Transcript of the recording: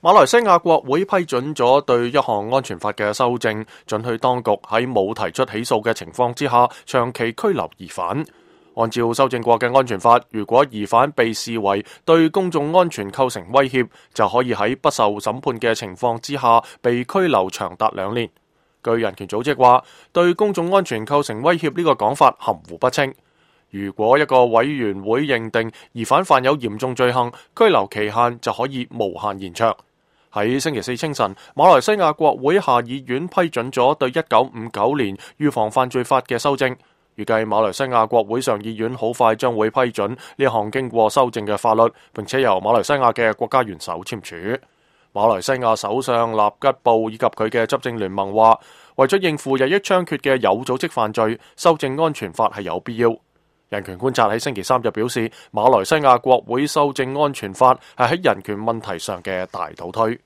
馬來西亞國會批准咗對一項安全法嘅修正，准許當局喺冇提出起訴嘅情況之下，長期拘留疑犯。按照修正過嘅安全法，如果疑犯被視為對公眾安全構成威脅，就可以喺不受審判嘅情況之下被拘留長達2年。據人權組織話，對公眾安全構成威脅呢個講法含糊不清。如果一個委員會認定疑犯犯有嚴重罪行，拘留期限就可以無限延長。喺星期四清晨，馬來西亞國會下議院批准咗對1959年預防犯罪法嘅修正，預計馬來西亞國會上議院好快將會批准呢項經過修正嘅法律，並且由馬來西亞嘅國家元首簽署。馬來西亞首相納吉布以及佢嘅執政聯盟話，為咗應付日益猖獗嘅有組織犯罪，修正安全法係有必要。人權觀察喺星期三就表示，馬來西亞國會修正安全法係喺人權問題上嘅大倒推。